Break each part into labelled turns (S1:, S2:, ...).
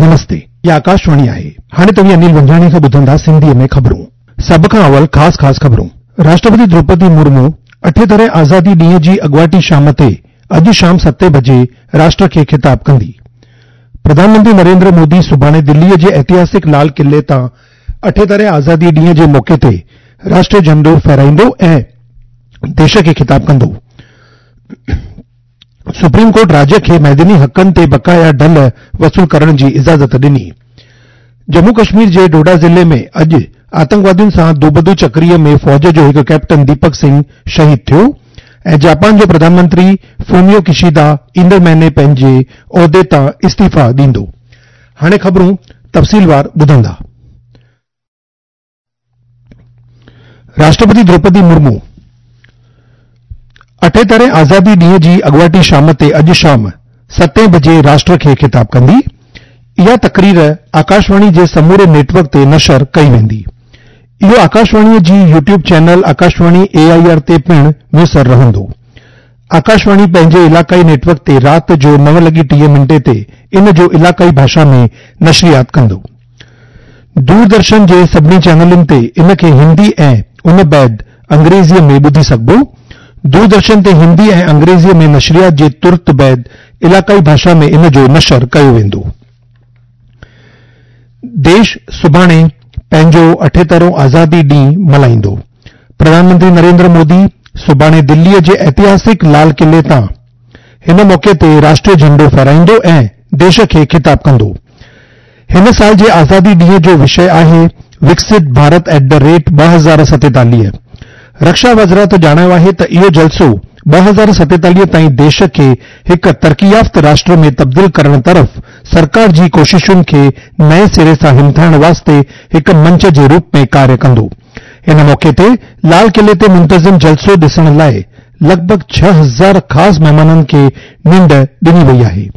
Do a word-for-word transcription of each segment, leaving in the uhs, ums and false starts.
S1: نمستي، هي آڪاشواڻي آهي. هاڻي توهين انيل ونجاڻي کان ٻڌندا سنڌيء ۾ خبرون. سڀ کان اول خاص خاص خبرون. راشٽرپتي دروپدي مرمو اٺيترهين آزادي ڏينهن جي اڳواٽي شام تي اڄ شام ستين بجي راشٽر کي خطاب ڪندي. پرڌان منتري نريندر مودي سڀاڻي دليء جي ائتهاسڪ لال قلعي تان اٺيترهين آزادي ڏينهن جي موقعي تي راشٽريه جهنڊو ڦهرائيندو ۽ ديش کي خطاب ڪندو. سپريم ڪورٽ راجيه کي معدني حقن تي بقايا ڍل وصول ڪرڻ جي اجازت ڏني. ڄمون ڪشمير جي ڊوڊا ضلعي ۾ اڄ آتنڪوادين سان دوبدو چڪريء ۾ فوج جو هڪ ڪئپٽن ديپڪ سنگهه شهيد ٿيو ۽ جاپان جو پرڌان منتري فوميو ڪشيدا ايندڙ مهيني پنهنجي عهدي تان استعيفيٰ ڏيندو. هاڻي خبرون تفصيلوار ٻڌندا. راشٽرپتي دروپدي مرمو اٺيترهين آزادي ڏينهن جي اڳواٽي شام تي اڄ شام ستين بجي راشٽر کي خطاب ڪندي. اها تقرير آڪاشواڻي جي سموري نيٽ ورڪ تي نشر ڪئي ويندي. اهو آڪاشواڻيء جي YouTube channel Akashvani A I R تي پڻ ميسر رهندو. آڪاشواڻي پنهنجي علاقائي نيٽ ورڪ تي رات جو نو لڳي ٽيهه منٽي تي ان جو علاقائي ڀاشا ۾ نشريات ڪندو. دوردرشن جي سڀني چينلن تي ان کي هندي ۽ ان بعد انگريزيء ۾ ٻڌي سگهبو. دوردرشن تي هندي ۽ انگريزيء ۾ نشريات جي ترت بعد علاقائي ڀاشا ۾ ان جو نشر ڪيو ويندو. ديش سڀاڻي پنهنجو اٺيترهون آزادي ڏينهن ملهائيندو. پرڌان منتري نريندر مودي سڀاڻي دليء جي ائتهاسڪ لال قلعي تان هن موقعي تي راشٽريه جهنڊو ڦهرائيندو ۽ ديش کي خطاب ڪندو. هن سال جي آزادي ڏينهن جو وشيه آهي Viksit Bharat at the rate ٻه هزار ستيتاليهه. رڪشا وزارت ڄاڻايو آهي ته اهو جلسو ٻه هزار ستيتاليهه تائين ديش کي هڪ ترقي يافته راشٽر ۾ تبديل ڪرڻ طرف سرڪار جي ڪوششن کي نئين سري سان همٿائڻ واسطي هڪ منچ جي روپ ۾ ڪاريه ڪندو. ان موقعي تي لال قلعي تي منتظم جلسو ڏسڻ لاء لڳ ڀڳ ڇهه هزار خاص مهمانن کي نينڍ ڏني وئي آهي.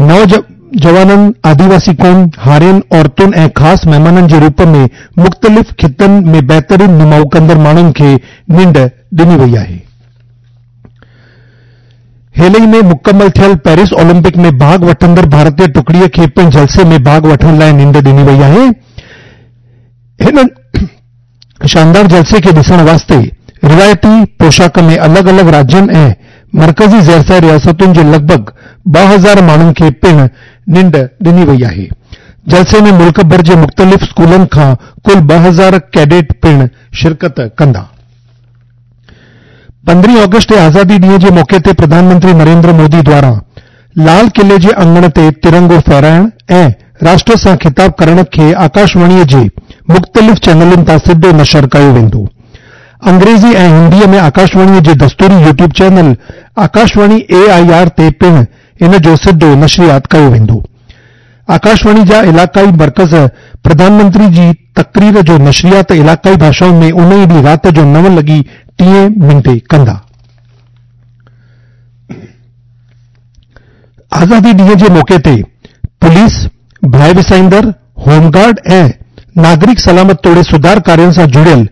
S1: نوجوانن، آديواسي قوم، هارين، عورتن ۽ خاص مهمانن جي روپ ۾ مختلف خطن ۾ بهترين نماء ڪندڙ ماڻهن کي نينڍ ڏني وئي آهي. هيل ئي ۾ مڪمل ٿيل پيرس اولمپڪ ۾ ڀاڳ وٺندڙ ڀارتي ٽڪڙيء کي پڻ جلسي ۾ ڀاڳ وٺڻ لاء نينڍ ڏني وئي آهي. هن شاندار جلسي کي ڏسڻ واسطي روايتي پوشاڪ ۾ الڳ الڳ راجين ۽ مرڪزي زيرسايه رياستن جي لڳ ڀڳ ٻه هزار ماڻهن کي پڻ نينڍ ڏني وئي آهي. جلسي ۾ ملڪ ڀر جي مختلف اسڪولن کان ڪل ٻه هزار ڪيڊٽ پڻ شرڪت ڪندا. پندرهين آگسٽ تي آزادي ڏينهن جي موقعي تي پرڌان منتري نريندر مودي دواران لال قلعي جي اڱڻ تي ترنگو ڦهرائڻ ۽ راشٽر سان خطاب ڪرڻ کي آڪاشواڻيء جي مختلف چينلن تان سڌو نشر ڪيو ويندو. انگريزي ۽ هنديء ۾ آڪاشواڻيء جي دستوري YouTube channel Akashvani A I R تي پڻ ان جو سڌو نشريات ڪيو ويندو. آڪاشواڻي جا علاقائي مرڪز پرڌان منتري جي تقرير جو نشريات علاقائي ڀاشائن ۾ ان ئي ڏينهن رات جو نو لڳي ٽيهين منٽي ڪندا. آزادي ڏينهن جي موقعي تي پوليس، باهه وسائيندڙ، هوم گارڊ ۽ ناگرڪ سلامت توڙي سڌار ڪارين سان جڙيل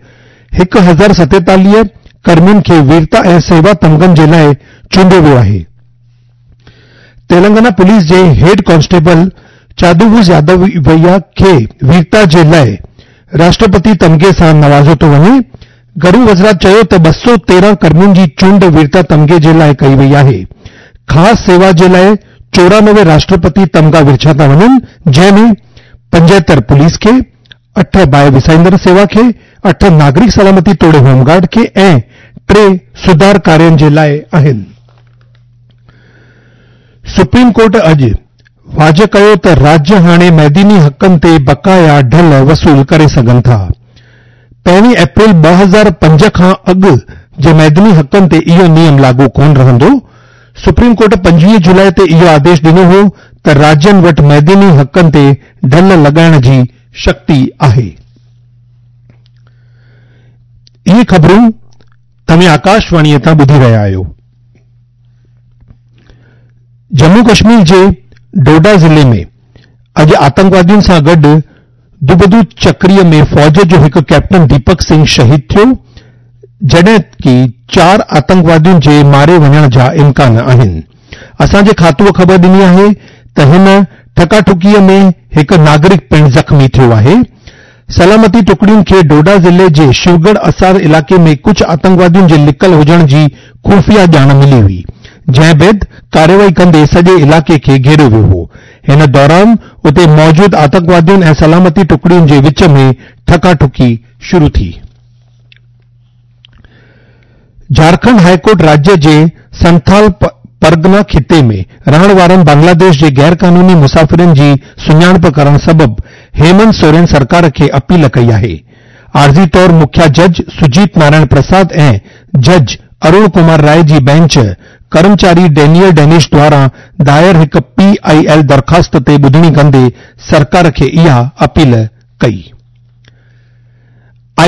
S1: هڪ هزار ستيتاليهه ڪرمين کي ويرتا ۽ سيوا تمغن جي لاء چونڊيو ويو آهي. تيلنگانا پوليس جي هيڊ ڪانسٽيبل چادووز يادويا کي ويرتا جي لاء راشٽرپتي تمغي سان نوازيو ٿو وڃي. گهرو وزارت چيو ته ٻه سؤ تيرهن ڪرمين جي چونڊ ويرتا تمغي جي لاء ڪئي وئي آهي. خاص سيوا جي لاء چورانوي راشٽرپتي تمغا ورڇيا ٿا وڃن، جنهن ۾ پنجهتر پوليس کي، اٺ باهه وسائيندڙ سيوا کي، اٺ ناگرڪ سلامتي توڙي هوم گارڊ کي ۽ ٽي سڌار ڪارين جي لاء آهن. سپريم ڪورٽ اڄ واضح ڪيو ته راجيه هاڻي معدني حقن تي بقايا ڍل وصول ڪري سگهن ٿا. پهرين اپريل ٻه هزار پنج کان اڳ جي معدني حقن تي اهو نيم لاڳو ڪونه رهندو. سپريم ڪورٽ پنجويهه جولاء تي اهو آديش ڏنو هو ته راجين وٽ معدني حقن تي ڍل لڳائڻ جي شڪتي آهي. اهي خبرون توهين آڪاشواڻيء تان ٻڌي رهيا آهيو. ڄمون ڪشمير جي ڊوڊا ضلعي ۾ اڄ آتنڪوادين سان گڏ دوبدو چڪريء ۾ فوج جو هڪ ڪئپٽن ديپڪ سنگهه شهيد ٿيو، جڏهن ڪي چار آتنڪوادين جي ماري وڃڻ جا امڪان آهن. اسان جي کاتوء خبر ڏني آهي ته هن ٺڪاٺڪيء ۾ هڪ ناگرڪ پڻ زخمي ٿيو آهي. سلامتي ٽڪڙين کي ڊوڊا ضلعي جي شوڳڙهه اسار علائقي ۾ ڪجهه آتنڪوادين جي لڪل هجڻ جي خفيه ڄاڻ ملي هئي، جنهن بعد ڪارروائي ڪندي سڄي علائقي کي گهيريو ويو هو. هن دوران اتي موجود آتنڪوادين ۽ سلامتي ٽڪڙين جي وچ ۾ ٺڪاٺڪي شروع ٿي. جهارکنڊ هاء ڪورٽ راجيه جي سنٿال پرگنا خطي ۾ رهڻ وارن بنگلاديش جي غيرقانوني مسافرن جي سڃاڻپ ڪرڻ سبب هيمنت سورين سرڪار کي اپيل ڪئي آهي. عارضي طور مکيه جج سجيت نارائڻ پرساد ۽ جج ارون ڪمار راء جي بينچ ڪرمچاري ڊينيئل ڊينش دواران دائر هڪ پي I L درخواست تي ٻڌڻي ڪندي سرڪار کي اها اپيل ڪئي.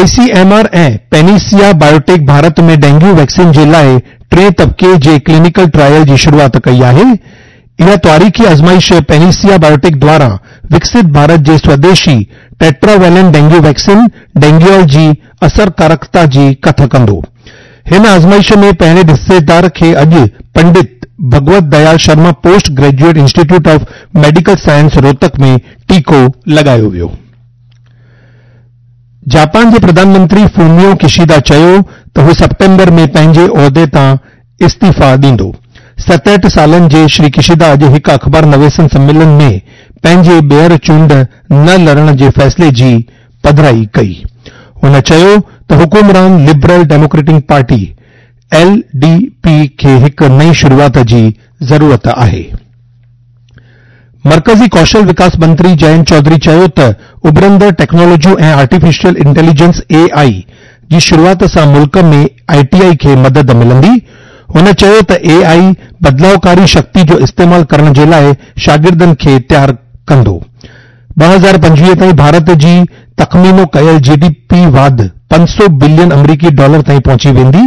S1: I C M R ۽ Panacea Biotec Bharat ۾ dengue vaccine جي لاء ٽئين طبقي جي ڪلينيڪل ٽرائل جي شروعات ڪئي آهي. اها تواريخي آزمائش پينيسيا بايوٽيڪ دواران وڪست ڀارت جي سوديشي ٽيٽراويلنٽ ڊينگيو ويڪسين ڊينگيول جي اثرڪارڪتا جي ڪٿ ڪندو. هن آزمائش ۾ پهرين حصيدار کي اڄ Pandit Bhagwat Dayal Sharma post graduate institute of medical science Rohtak ۾ ٽيڪو لڳايو ويو. جاپان جي پرڌان منتري فوميو ڪشيدا چيو ته هو سيپٽمبر ۾ پنهنجي عهدي تان استعيفيٰ ڏيندو. ستهٺ سالن جي شري ڪشيدا اڄ هڪ اخبار نويسن سميلن ۾ پنهنجي ٻيهر چونڊ نه لڙڻ جي فيصلي جي پڌرائي ڪئي. هن چيو ته حڪمران Liberal Democratic Party, L D P, کي هڪ نئين شروعات جي ضرورت آهي. مرڪزي ڪوشل وڪاس منتري جئنت چوڌري چيو ته اڀرندڙ ٽيڪنالاجيون ۽ آرٽيفيشل انٽيليجنس، اي آء، جي شروعات سان ملڪ ۾ آء ٽي آء کي مدد ملندي. هن چيو ته اي آء بدلاءڪاري شڪتي جو استعمال ڪرڻ جي لاء شاگردن کي تيار ڪندو. ٻه هزار پنجويهه تائين ڀارت جي تخمينو ڪيل جي ڊي پي واڌ پنج سؤ بلين آمريڪي ڊالر تائين پهچي ويندي.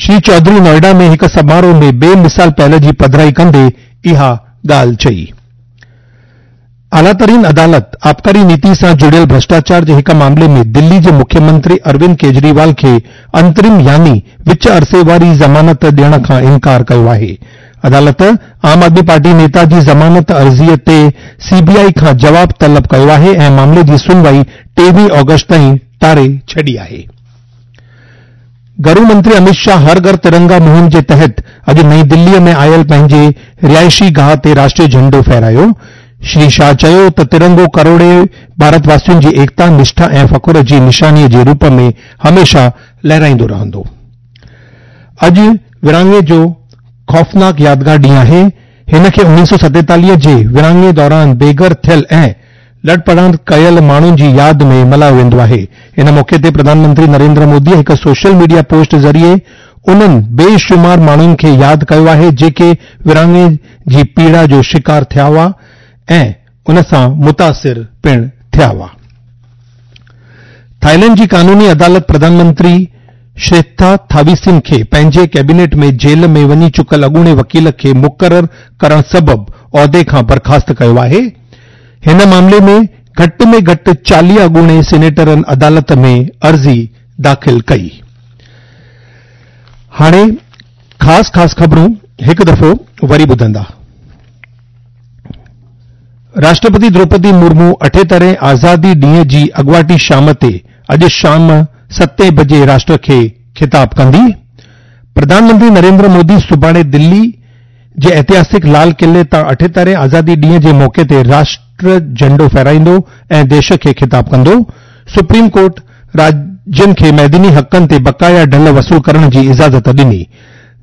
S1: شري چوڌري نوئيڊا ۾ هڪ سماروهه ۾ بي مثال پهل جي پڌرائي ڪندي اها ڳالهه چئي. اعليٰ ترين عدالت آبڪاري نيتي سان جڙيل ڀرشٽاچار جي هڪ معاملي ۾ دلي جي مکيه منتري اروند ڪيجريوال کي انترم يعني وچ عرصي واري ضمانت ڏيڻ کان انڪار ڪيو آهي. عدالت عام آدمي پارٽي نيتا جي ضمانت عرضي تي سي بي آء کان جواب طلب ڪيو آهي ۽ معاملي جي سنوائي ٽيويهه آگسٽ تائين ٽاري ڇڏي آهي. گهرو منتري امت شاهه هر گهر ترنگا مهم جي تحت اڄ نئين دلي ۾ آيل پنهنجي رهائشي گاهه تي راشٽريه جهنڊو ڦهرايو. شري شاهه چيو ته ترنگو ڪروڙين ڀارت واسين جي ايڪتا، نشٺا ۽ فخر جي نشاني جي روپ ۾ هميشه لهرائيندو رهندو. اڄ ورهاڱي جو خوفناڪ يادگار ڏينهن آهي. هن کي اڻويهه سؤ ستيتاليهه جي ورهاڱي دوران بيگهر ٿيل ۽ لڏپلاڻ ڪيل ماڻهن جي ياد ۾ ملهايو ويندو آهي. ان موقعي تي پرڌان منتري نريندر مودي هڪ سوشل ميڊيا پوسٽ ذريعي انهن بي شمار ماڻهن کي ياد ڪيو آهي جيڪي ورهاڱي جي پيڙا جو شڪار ٿيا هئا ۽ ان سان متاثر پڻ ٿيا هئا. ٿائيلينڊ جي قانوني عدالت پرڌان منتري شريٿا ٿاويسن کي پنهنجي ڪيبينيٽ ۾ جيل ۾ وڃي چڪل اڳوڻي وڪيل کي مقرر ڪرڻ سبب عهدي کان برخاست ڪيو آهي. هن معاملي ۾ گهٽ ۾ گهٽ چاليهه اڳوڻي سينيٽرن عدالت ۾ عرضي داخل ڪئي. هاڻي خاص خاص خبرون هڪ دفعو وري ٻڌندا. راشٽرپتي دروپدي مرمو اٺهترهين آزادي ڏينهن جي اڳواٽي شام تي اڄ شام ستين بجي راشٽر کي خطاب ڪندي. پرڌان منتري نريندر مودي سڀاڻي دلي جي اتهاسڪ لال قلعي تان اٺهترهين آزادي ڏينهن جي موقعي تي راشٽر جهنڊو ڦهرائيندو ۽ ديش کي خطاب ڪندو. سپريم ڪورٽ راجين کي معدني حقن تي بقايا ڍل وصول ڪرڻ جي اجازت ڏني.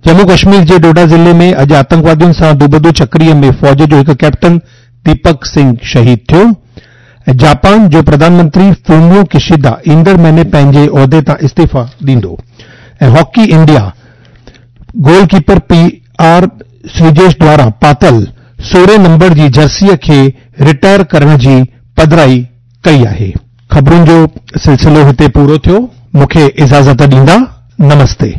S1: ڄمون ڪشمير جي ڊوڊا ضلعي ۾ اڄ آتنڪوادين سان دوبدو چڪري ۾ فوج جو هڪ ڪئپٽن ديپڪ سنگهه شهيد ٿيو ۽ جاپان جو پرڌان منتري فوميو ڪشيدا ايندڙ مهيني پنهنجي عهدي تان استعيفيٰ ڏيندو ۽ hockey India goalkeeper P R Sreejesh دواران پاتل سورهين نمبر جي جرسيء کي رٽائر ڪرڻ جي پڌرائي ڪئي آهي. خبرن جو سلسلو هتي پورو ٿيو. مون کي اجازت ڏيندا. نمستي.